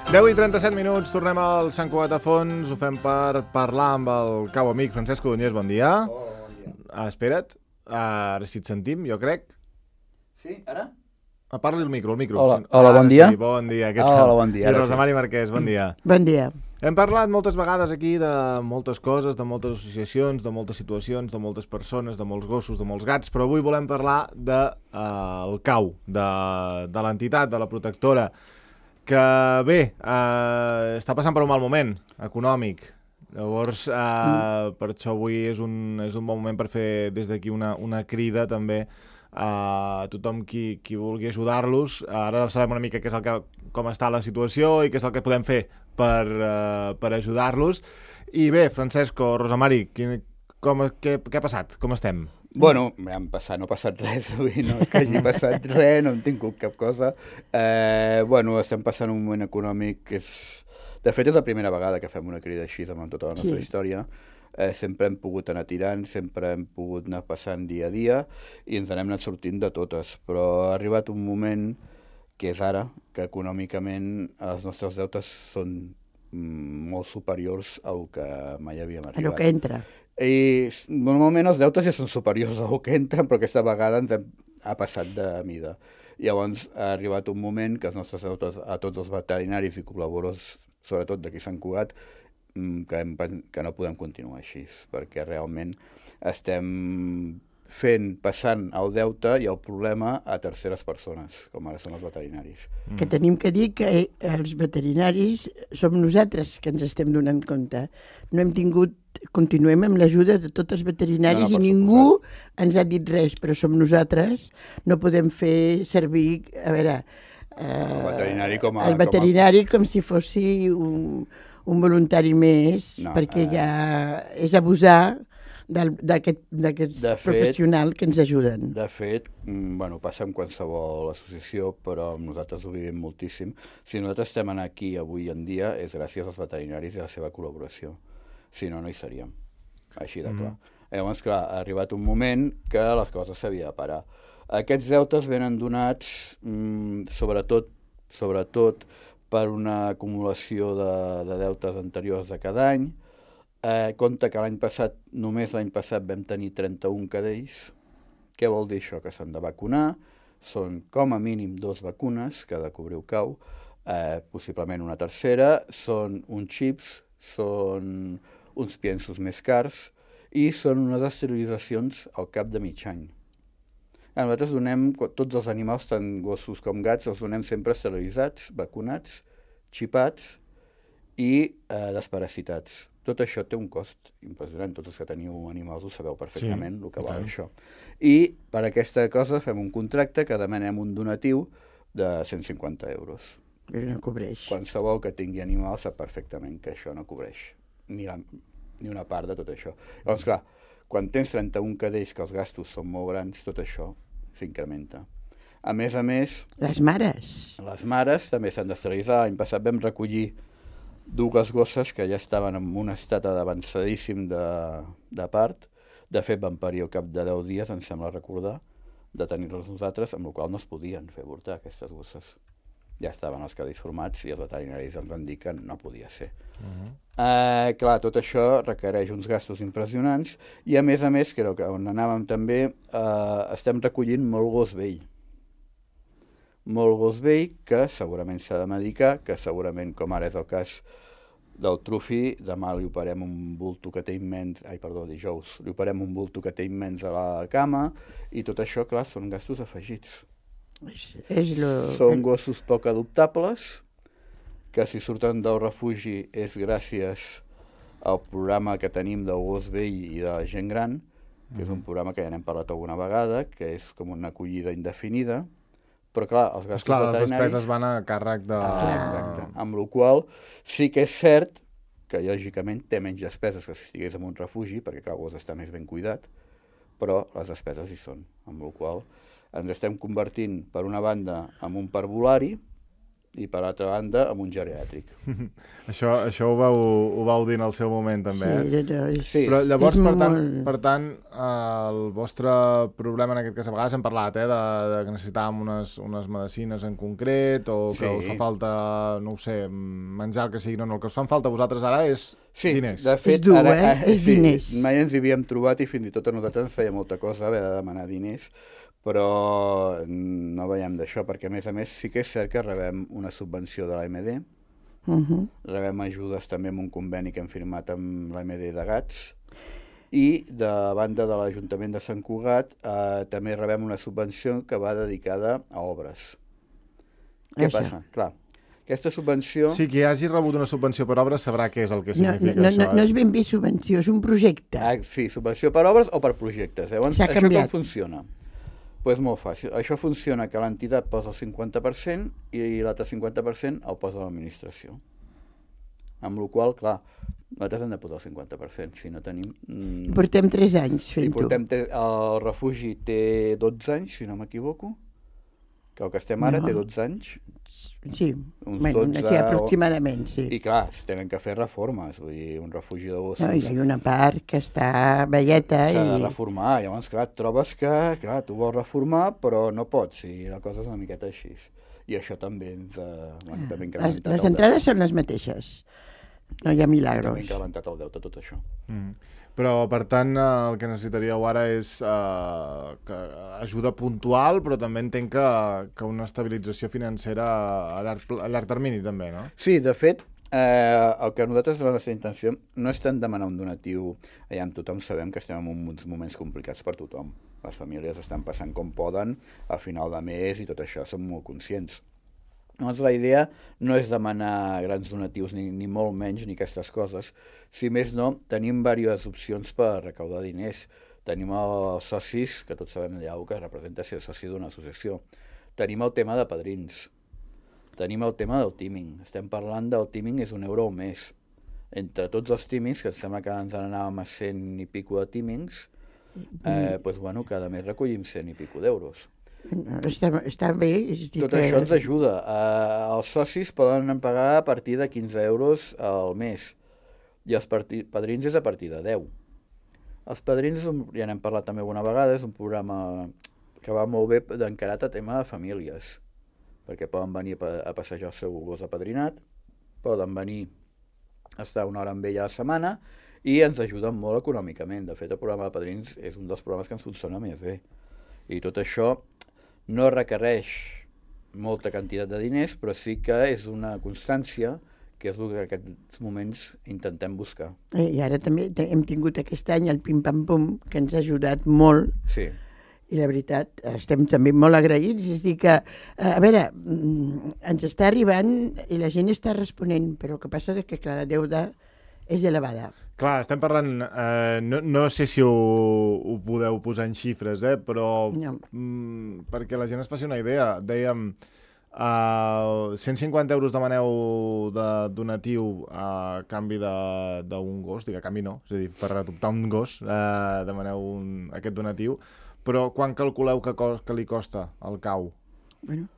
10:37, tornem al Sant Cugat a Fons, ho fem per parlar amb el cau amic Francesc Codonyés, bon dia. Hola, bon dia. Espera't, ara sí et sentim, jo crec. Sí, ara? Parli el micro. Hola, bon dia. Sí, bon dia, què tal? Hola, bon dia. I Rosa Mari Marquès, bon dia. Bon dia. Hem parlat moltes vegades aquí de moltes coses, de moltes associacions, de moltes situacions, de moltes persones, de molts gossos, de molts gats, però avui volem parlar del cau, de l'entitat, de la protectora, que bé, està passant per un mal moment econòmic. Llavors, per això avui és un bon moment per fer des d'aquí una crida també a tothom qui vulgui ajudar-los. Ara sabem una mica com està la situació i què és el que podem fer per ajudar-los. I bé, Francesco, Rosa Mari, què ha passat? Com estem? Bueno, no ha passat res avui, no és que hagi passat res, no hem tingut cap cosa. Bueno, estem passant un moment econòmic que és... De fet, és la primera vegada que fem una crida així amb tota la nostra història. Sempre hem pogut anar tirant, sempre hem pogut anar passant dia a dia i ens n'hem anat sortint de totes, però ha arribat un moment, que és ara, que econòmicament els nostres deutes són molt superiors al que mai havíem arribat. A lo que entra. I normalment els deutes ja són superiors al que entren, però aquesta vegada ha passat de mida. Llavors ha arribat un moment que els nostres deutes a tots els veterinaris i col·laboradors, sobretot d'aquí Sant Cugat, que no podem continuar així, perquè realment estem passant el deute i el problema a terceres persones, com ara són els veterinaris. Que tenim que dir que els veterinaris som nosaltres que ens estem donant compte. No hem tingut, continuem amb l'ajuda de tots els veterinaris i ningú ens ha dit res, però som nosaltres, no podem fer servir, a veure, el veterinari com si fossi un voluntari més, perquè ja és abusar d'aquests professionals que ens ajuden. De fet, passa amb qualsevol associació, però nosaltres ho vivim moltíssim. Si nosaltres estem aquí avui en dia és gràcies als veterinaris i a la seva col·laboració. Si no, no hi seríem. Així de clar. Llavors, clar, ha arribat un moment que les coses s'havia de parar. Aquests deutes venen donats sobretot per una acumulació de deutes anteriors de cada any. Compte que només l'any passat vam tenir 31 cadells. Què vol dir això? Que s'han de vacunar. Són com a mínim 2 vacunes que ha de cobrir el cau, possiblement una tercera. Són uns xips, són uns piensos més cars i són unes esterilitzacions al cap de mig any. Nosaltres donem tots els animals, tant gossos com gats, els donem sempre esterilitzats, vacunats, xipats i desparasitats. Tot això té un cost impressionant. Tots els que teniu animals ho sabeu perfectament, el que val això. I per aquesta cosa fem un contracte que demanem un donatiu de 150 euros. Però no cobreix. Qualsevol que tingui animals sap perfectament que això no cobreix ni una part de tot això. Llavors, clar, quan tens 31 cadells que els gastos són molt grans, tot això s'incrementa. A més, les mares també s'han d'esterilitzar. L'any passat vam recollir 2 gosses que ja estaven en un estat avançadíssim de part. De fet, van parir al cap de 10 dies, em sembla recordar, de tenir-los nosaltres, amb la qual no es podien fer avortar aquestes gosses. Ja estaven els cadells formats i els veterinaris ens van dir que no podia ser. Clar, tot això requereix uns gastos impressionants i a més, que era on anàvem també, estem recollint molt gos vell. Molt gos vell que segurament s'ha de medicar, que segurament, com ara és el cas del Trufi, demà li operem un bulto que té immens, dijous, li operem un bulto que té immens a la cama i tot això, clar, són gastos afegits. Són gossos poc adoptables, que si surten del refugi és gràcies al programa que tenim del gos vell i de la gent gran, que és un programa que ja n'hem parlat alguna vegada, que és com una acollida indefinida, però clar, els gastos veterinaris... les despeses van a càrrec de... Exacte. Amb la qual sí que és cert que lògicament té menys despeses que si estigués en un refugi, perquè clar, el gos està més ben cuidat, però les despeses hi són, amb la qual ens estem convertint, per una banda, en un parvulari i per altra banda amb un geriàtric. Això ho vau dir en el seu moment, també, Sí. Però llavors, per tant, el vostre problema en aquest cas, a vegades hem parlat, de que necessitàvem unes medicines en concret, o que us fa falta, no ho sé, menjar el que sigui, no, el que us fan falta a vosaltres ara és diners. De fet, és dur, és diners. Mai ens hi havíem trobat i fins i tot a nosaltres ens feia molta cosa haver de demanar diners, però no veiem d'això, perquè a més sí que és cert que rebem una subvenció de l'AMD, rebem ajudes també amb un conveni que hem firmat amb l'AMD de Gats, i de banda de l'Ajuntament de Sant Cugat també rebem una subvenció que va dedicada a obres. Què passa? Clar, aquesta subvenció... Sí, qui hagi rebut una subvenció per obres sabrà què és el que significa això. No és ben bé subvenció, és un projecte. Sí, subvenció per obres o per projectes. Llavors, això com funciona? Doncs molt fàcil. Això funciona que l'entitat posa el 50% i l'altre 50% el posa l'administració. Amb la qual cosa, clar, nosaltres hem de posar el 50%, si no tenim... Portem 3 anys fent-ho. El refugi té 12 anys, si no m'equivoco, que el que estem ara té 12 anys. Sí, aproximadament, sí. I clar, es tenen que fer reformes, vull dir, un refugi de gossos... No, hi ha una part que està velleta i... S'ha de reformar, llavors, clar, et trobes que, clar, tu vols reformar, però no pots, i la cosa és una miqueta així. I això també ens ha incrementat... Les entrades són les mateixes, no hi ha milagros. També ha incrementat el deute, tot això. Però, per tant, el que necessitaríeu ara és ajuda puntual, però també entenc que una estabilització financera a llarg termini, també, no? Sí, de fet, el que nosaltres, la nostra intenció, no és tant demanar un donatiu, tothom sabem que estem en uns moments complicats per tothom. Les famílies estan passant com poden a final de mes i tot això, som molt conscients. Llavors, la idea no és demanar grans donatius, ni molt menys, ni aquestes coses. Si més no, tenim diverses opcions per recaudar diners. Tenim els socis, que tots sabem allà que representa ser soci d'una associació. Tenim el tema de padrins. Tenim el tema del teaming. Estem parlant del teaming, és €1 al mes. Entre tots els teamings, que em sembla que ens anàvem a 100 i pico de teamings, cada mes recollim 100 i pico d'euros. Està bé. Tot això ens ajuda. Els socis poden pagar a partir de 15 euros al mes i els padrins és a partir de 10. Els padrins, ja n'hem parlat també alguna vegada, és un programa que va molt bé d'encarat a tema de famílies, perquè poden venir a passejar el seu gos apadrinat, poden venir a estar una hora amb ella a la setmana i ens ajuden molt econòmicament. De fet, el programa de padrins és un dels programes que ens funciona més bé. I tot això no requereix molta quantitat de diners, però sí que és una constància, que és el que en aquests moments intentem buscar. I ara també hem tingut aquest any el Pim Pam Pum, que ens ha ajudat molt. Sí. I la veritat, estem també molt agraïts. És a dir que, a veure, ens està arribant i la gent està responent, però el que passa és que, clar, la deuda és elevada. Clar, estem parlant, no sé si ho podeu posar en xifres, però perquè la gent es faci una idea, dèiem 150 euros demaneu de donatiu a canvi d'un gos, dic a canvi no, és a dir, per adoptar un gos demaneu aquest donatiu, però quan calculeu que li costa el cau? Bueno,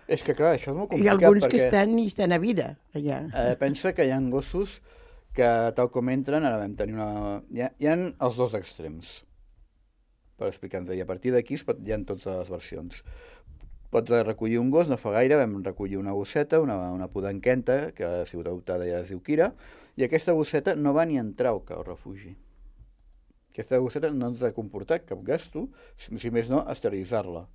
és que clar, això és molt complicat. Hi ha alguns que estan a vida allà. Pensa que hi ha gossos que tal com entren, ara vam tenir una... Hi ha els dos extrems, per explicar-nos. I a partir d'aquí hi ha totes les versions. Pots recollir un gos, no fa gaire, vam recollir una gosseta, una podenquenta, que ha sigut adoptada i es diu Kira, i aquesta gosseta no va ni entrar al refugi. Aquesta gosseta no ens ha comportat cap gasto, si més no, esterilitzar-la.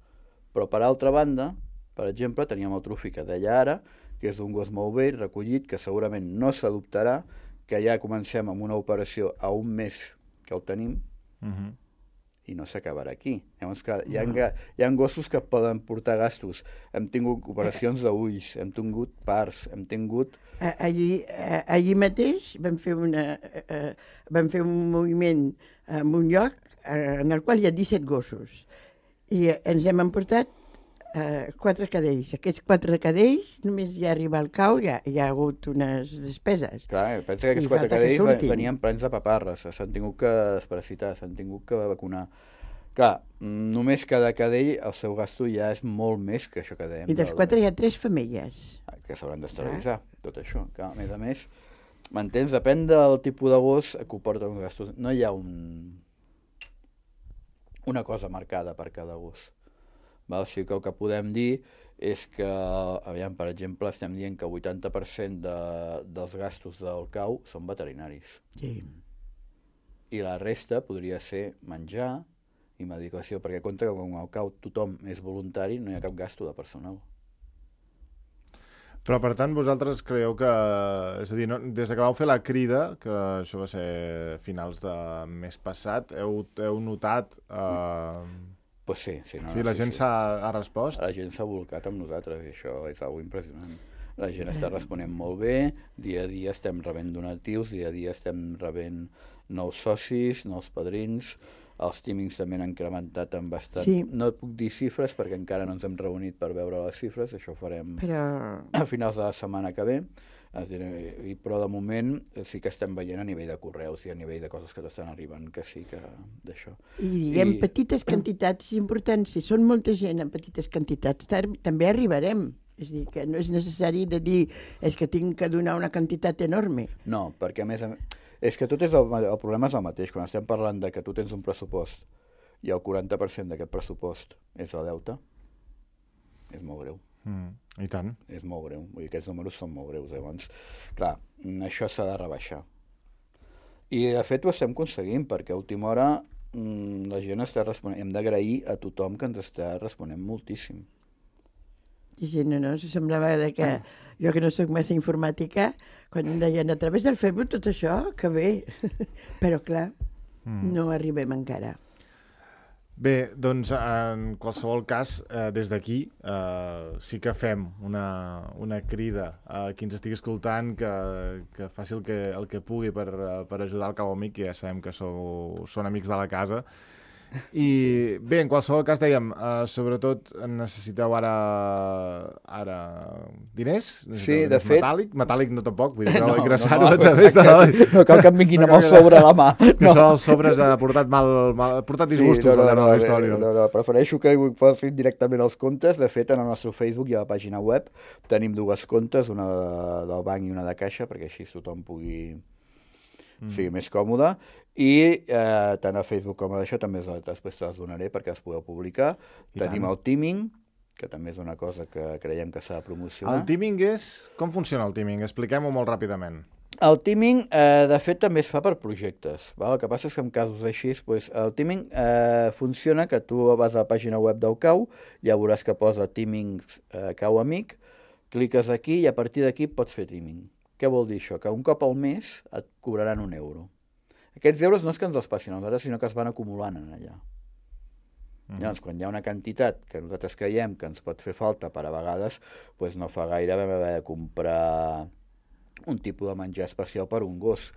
Però per altra banda, per exemple, teníem el Trufi que deia ara, que és un gos molt vell, recollit, que segurament no s'adoptarà, que ja comencem amb una operació a un mes que el tenim, i no s'acabarà aquí. Llavors, clar, hi ha gossos que poden portar gastos. Hem tingut operacions d'ulls, hem tingut parts, hem tingut... Allí mateix vam fer un moviment en un lloc en el qual hi ha 17 gossos i ens hem emportat 4 cadells. Aquests 4 cadells, només ja arriba al cau, hi ha hagut unes despeses. Clar, pensa que aquests 4 cadells venien plens de paparres, s'han tingut que desparasitar, s'han tingut que vacunar. Clar, només cada cadell, el seu gasto ja és molt més que això que dèiem. I dels 4 hi ha 3 femelles. Que s'hauran d'esterilitzar, tot això. Que, a més, m'entens? Depèn del tipus de gos que comporta uns gastos. No hi ha una cosa marcada per cada gos. Val? O sigui que el que podem dir és que, aviam, per exemple, estem dient que el 80% dels gastos del cau són veterinaris. Sí. I la resta podria ser menjar i medicació, perquè compta que com al cau tothom és voluntari, no hi ha cap gasto de personal. Però, per tant, vosaltres creieu que... És a dir, no, des que vau fer la crida, que això va ser finals de mes passat, heu notat... Pues sí. No, sí, la gent ha respost? La gent s'ha volcat amb nosaltres i això és algo impressionant. La gent està responent molt bé, dia a dia estem rebent donatius, dia a dia estem rebent nous socis, nous padrins, els tímings també han incrementat en bastant. Sí. No puc dir xifres perquè encara no ens hem reunit per veure les xifres, això ho farem a finals de la setmana que ve, però de moment sí que estem veient a nivell de correus i a nivell de coses que t'estan arribant, que sí que d'això. I en petites quantitats és important, si són molta gent en petites quantitats, també arribarem. És a dir, que no és necessari de dir és que tinc que donar una quantitat enorme. No, perquè a més és que tot és el problema és el mateix. Quan estem parlant de que tu tens un pressupost i el 40% d'aquest pressupost és el deute, és molt greu. I tant. És molt greu. Vull dir, aquests números són molt greus. Llavors, clar, això s'ha de rebaixar. I de fet ho estem aconseguint, perquè a última hora la gent està responent. Hem d'agrair a tothom que ens està responent moltíssim. Sí, no, semblava que jo que no soc massa informàtica, quan em deien a través del Facebook tot això, que bé, però clar, no arribem encara. Bé, doncs en qualsevol cas, des d'aquí sí que fem una crida a qui ens estigui escoltant que faci el que pugui per ajudar el Cau Amic, que ja sabem que són amics de la casa. I bé, en qualsevol cas dèiem, sobretot necessiteu ara diners? Sí, de fet... Metàl·lic no tampoc, vull dir, no, ingressar-ho no, a través de... No cal que em vinguin amb el sobre a la mà. Que això dels sobres ha portat disgustos al llarg de la història. No, prefereixo que ho facin directament als comptes. De fet, en el nostre Facebook i a la pàgina web tenim 2 comptes, una del banc i una de caixa, perquè així tothom pugui sigui més còmode, i tant a Facebook com a això també després te les donaré perquè les podeu publicar. Tenim el teaming, que també és una cosa que creiem que s'ha de promocionar. El teaming és... Com funciona el teaming? Expliquem-ho molt ràpidament. El teaming, de fet, també es fa per projectes. Val? El que passa és que en casos així, el teaming funciona que tu vas a la pàgina web del CAU, ja veuràs que posa teaming CAU Amic, cliques aquí i a partir d'aquí pots fer teaming. Què vol dir això? Que un cop al mes et cobraran €1. Aquests euros no és que ens els passin a nosaltres, sinó que es van acumulant en allà. Llavors, quan hi ha una quantitat que nosaltres creiem que ens pot fer falta per a vegades, doncs no fa gaire vam haver de comprar un tipus de menjar especial per un gos,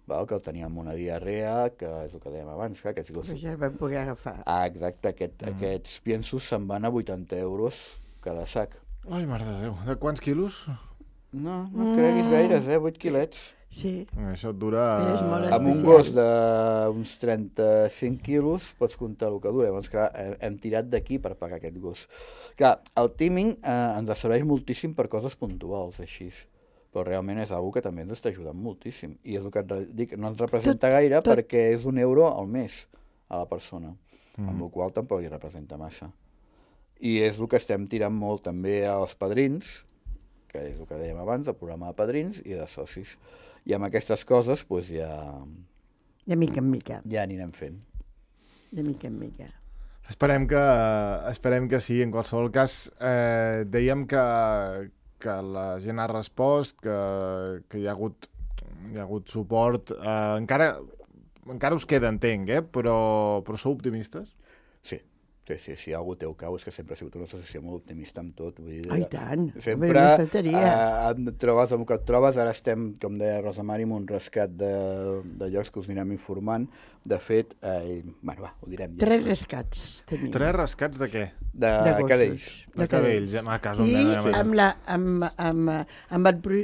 que el teníem amb una diarrea, que és el que dèiem abans, que aquests gossos... Però ja el vam poder agafar. Exacte, aquests piensos se'n van a €80 cada sac. Ai, mare de Déu, de quants quilos? No et creguis gaires, 8 quilets. Sí. Això et dura... Amb un gos d'uns 35 quilos pots comptar el que dura. Llavors, clar, hem tirat d'aquí per pagar aquest gos. Clar, el teaming ens serveix moltíssim per coses puntuals, així. Però realment és una que també ens està ajudant moltíssim. I és el que et dic, no ens representa gaire perquè és €1 al mes a la persona, amb la qual tampoc li representa massa. I és el que estem tirant molt també als padrins, que és el que dèiem abans, el programa de padrins i de socis. I amb aquestes coses, doncs ja... De mica en mica. Ja anirem fent. De mica en mica. Esperem que sí. En qualsevol cas, dèiem que la gent ha respost, que hi ha hagut suport. Encara us queda, entenc, però sou optimistes? Sí, algú té el cau, és que sempre ha sigut una associació molt optimista amb tot. Vull dir, ai, tant! Sempre et trobes amb el que et trobes. Ara estem, com deia Rosa Mari, amb un rescat de llocs que us anirem informant. De fet, ho direm ja. 3 rescats tenim. 3 rescats de què? De cadells. De cadells, a casa.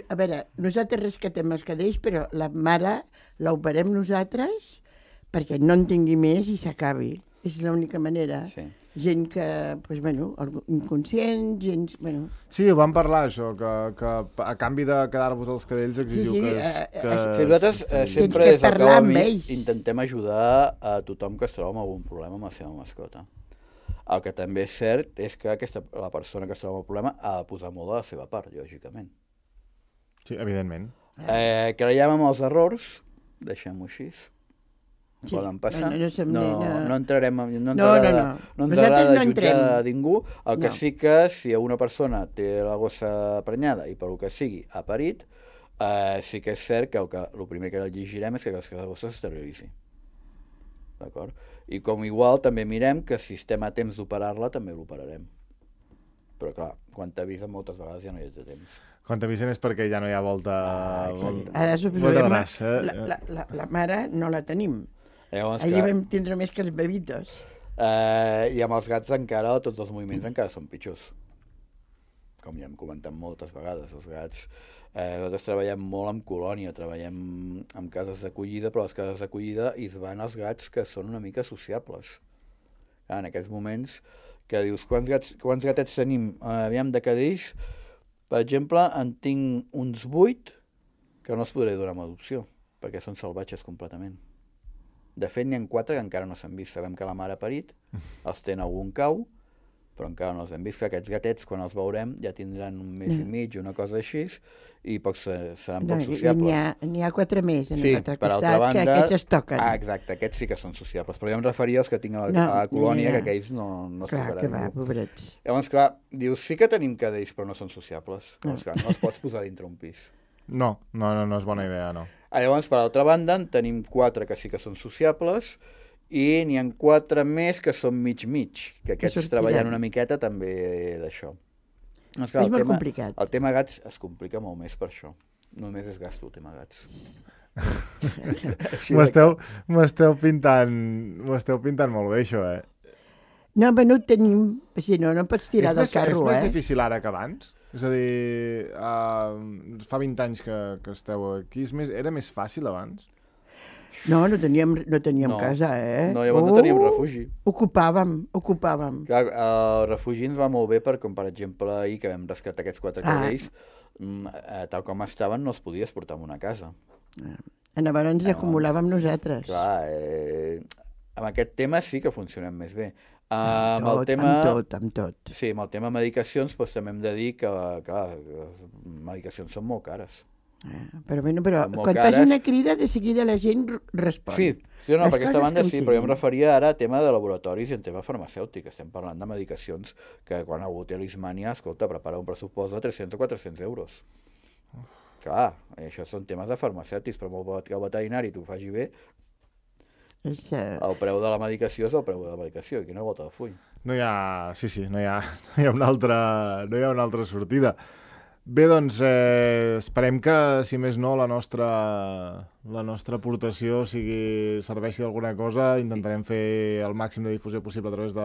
A veure, nosaltres rescatem els cadells, però la mare l'operem nosaltres perquè no en tingui més i s'acabi. És l'única manera. Sí. Gent que, doncs, bueno, inconscient, gent... Bueno. Sí, ho vam parlar, això, que a canvi de quedar-vos als cadells exigiu Sí, Sí, nosaltres sempre que des del parlar Cau amb Amic ells. intentem ajudar a tothom que es troba amb algun problema amb la seva mascota. El que també és cert és que la persona que es troba amb el problema ha de posar molt de la seva part, lògicament. Sí, evidentment. Creiem en els errors, deixem-ho així. Sí, Poden passar. No entrarem no ens Nosaltres agrada no jutjar entrem. a ningú. El que sí que si una persona té la gossa prenyada i per el que sigui ha parit, sí que és cert que el primer que llegirem és que la gossa s'esterilitzi. D'acord? I com igual també mirem que si estem a temps d'operar-la també l'operarem. Però clar, quan t'avisen moltes vegades ja no hi ets a temps. Quan t'avisen és perquè ja no hi ha volta... Ara volta braç, la mare no la tenim. Llavors, Allí vam tindre més que els bebitos. I amb els gats encara, tots els moviments encara són pitjors. Com ja hem comentat moltes vegades, els gats... nosaltres treballem molt amb colònia, treballem amb cases d'acollida, però les cases d'acollida hi van els gats que són una mica sociables. En aquests moments que dius, quants gatets tenim? Aviam de cadells, per exemple, en tinc uns 8 que no els podré donar amb adopció, perquè són salvatges completament. De fet, n'hi ha 4 que encara no s'han vist. Sabem que la mare ha parit, els té en algun cau, però encara no els hem vist. Aquests gatets, quan els veurem, ja tindran un mes i mig, una cosa així, i seran poc sociables. N'hi ha 4 més en l'altre per altra costat, banda, que aquests es toquen. Exacte, aquests sí que són sociables. Però jo em referia als que tinc a la colònia, que aquells no es Clar, tocaran que va, ningú. pobrets. Llavors, clar, dius, sí que tenim cadells, però no són sociables. Llavors, clar, no els pots posar dintre un pis. No és bona idea, no. Llavors, per altra banda, en tenim 4 que sí que són sociables i n'hi ha 4 més que són mig-mig, que aquests treballant una miqueta també d'això. Doncs, clar, És molt complicat. El tema gats es complica molt més per això. Només és gasto el tema gats. M'esteu pintant molt bé, això, No, però no ho tenim, si no pots tirar del carro, És més difícil ara que abans? És a dir, fa 20 anys que esteu aquí, era més fàcil abans? No teníem casa, No, llavors no teníem refugi. Ocupàvem. Clar, el refugi ens va molt bé per, com per exemple ahir que vam rescatar aquests 4 cadells, tal com estaven no els podies portar en una casa. Llavors ens acumulàvem nosaltres. Clar, amb aquest tema sí que funcionem més bé. Amb tot. Sí, amb el tema medicacions doncs, també hem de dir que clar, les medicacions són molt cares. Però quan fas una crida de seguida la gent respon. Sí, no, per aquesta banda sí, però jo em referia ara a tema de laboratoris i en tema farmacèutic. Estem parlant de medicacions que quan algú té l'Ismània, escolta, prepara un pressupost de 300 o 400 euros. Clar, això són temes de farmacèutics, però molt que el veterinari t'ho faci bé, el preu de la medicació és el preu de la medicació, i quina volta de full. No hi ha una altra sortida. Bé, doncs, esperem que, si més no, la nostra aportació serveixi d'alguna cosa. Intentarem fer el màxim de difusió possible a través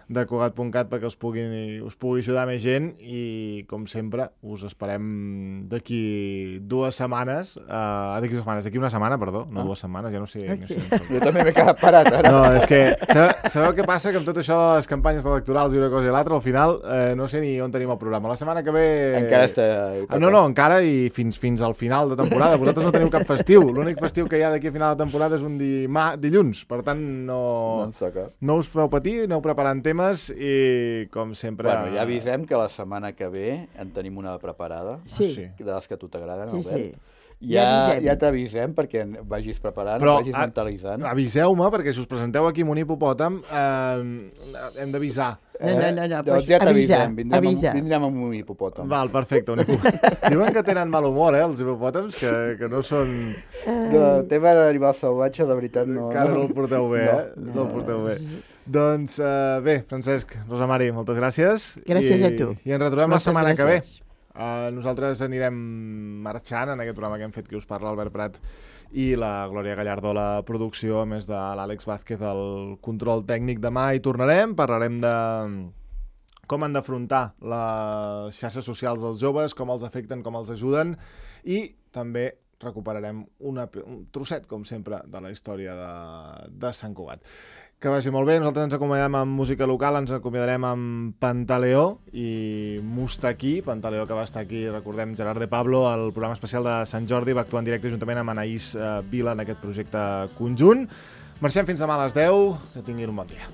de Cugat.cat perquè us pugui ajudar més gent i, com sempre, us esperem d'aquí 2 setmanes. D'aquí una setmana, perdó, no 2 setmanes, ja no sé. Jo també m'he quedat parat, ara. No, és que, sabeu què passa? Que amb tot això de les campanyes electorals i una cosa i l'altra, al final, no sé ni on tenim el programa. La setmana que ve... Encara està... No, encara i fins al final de temporada. Vosaltres no teniu cap festiu. L'únic festiu que hi ha d'aquí a final de temporada és un dilluns. Per tant, no us feu patir, aneu preparant temes i, com sempre... Bueno, ja avisem que la setmana que ve en tenim una preparada. Sí. De les que a tu t'agraden, sí, Albert. Sí. Ja t'avisem perquè vagis preparant, vagis mentalitzant. Però aviseu-me, perquè si us presenteu aquí amb un hipopòtam, hem d'avisar. No, ja t'avisem, vindrem amb un hipopòtam. Val, perfecte, un hipopòtam. Diuen que tenen mal humor, els hipopòtams, que no són... El tema d'animal salvatge, la veritat, no... Encara no el porteu bé, No el porteu bé. Doncs bé, Francesc, Rosa Mari, moltes gràcies. Gràcies a tu. I ens retrobem la setmana que ve. Nosaltres anirem marxant en aquest programa que hem fet, que us parla Albert Prat i la Glòria Gallardó a la producció, a més de l'Àlex Vázquez al control tècnic. Demà hi tornarem, parlarem de com han d'afrontar les xarxes socials dels joves, com els afecten, com els ajuden, i també recuperarem un trosset, com sempre, de la història de Sant Cugat. Que vagi molt bé. Nosaltres ens acomiadem amb música local, ens acomiadarem amb Pantaleó i Mustaquí. Pantaleó, que va estar aquí, recordem, Gerard de Pablo, al programa especial de Sant Jordi, va actuar en directe juntament amb Anaïs Vila en aquest projecte conjunt. Marxem fins demà a les 10. Que tinguin un bon dia.